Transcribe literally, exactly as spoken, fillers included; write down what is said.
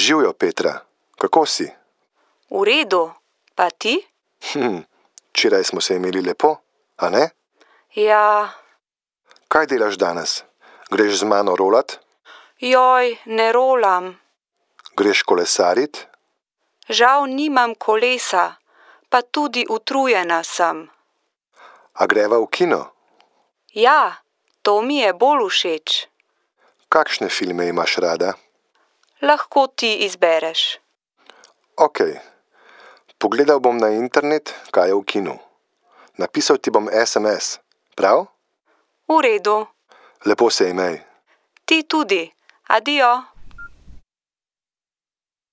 Živjo, Petra. Kako si? V redu. Pa ti? Hm, včeraj smo se imeli lepo, a ne? Ja, Kaj delaš danes? Greš z mano rolat? joj, ne rolam. Greš kolesarit? Žal nimam kolesa, pa tudi utrujena sem. A greva v kino? Ja, to mi je bolj všeč. Kakšne filme imaš rada? Lahko ti izbereš. Okej. Pogledal bom na internet, kaj je v kinu. Napisal ti bom es em es, prav? V redu. Lepo se imej. Ti tudi. Adijo.